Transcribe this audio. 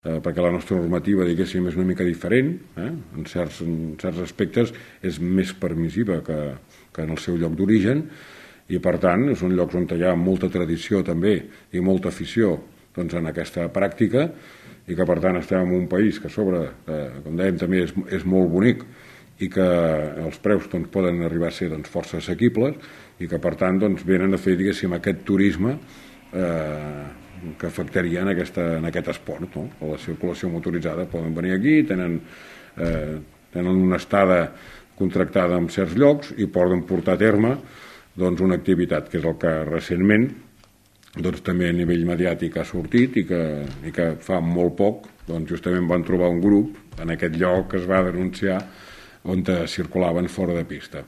perquè la nostra normativa, diguéssim, és una mica diferent, en certs aspectes és més permissiva que en el seu lloc d'origen, i per tant són llocs on hi ha molta tradició també i molta afició en aquesta pràctica, i que per tant estem en un país que a sobre, com dèiem, també és molt bonic i que els preus poden arribar a ser força assequibles, i que per tant venen a fer, diguéssim, aquest turisme que afectaria en aquest esport, no? A la circulació motoritzada poden venir aquí, tenen una estada contractada en certs llocs i poden portar a terme una activitat que és el que recentment també a nivell mediàtic ha sortit, i que fa molt poc justament van trobar un grup en aquest lloc que es va denunciar on circulaven fora de pista.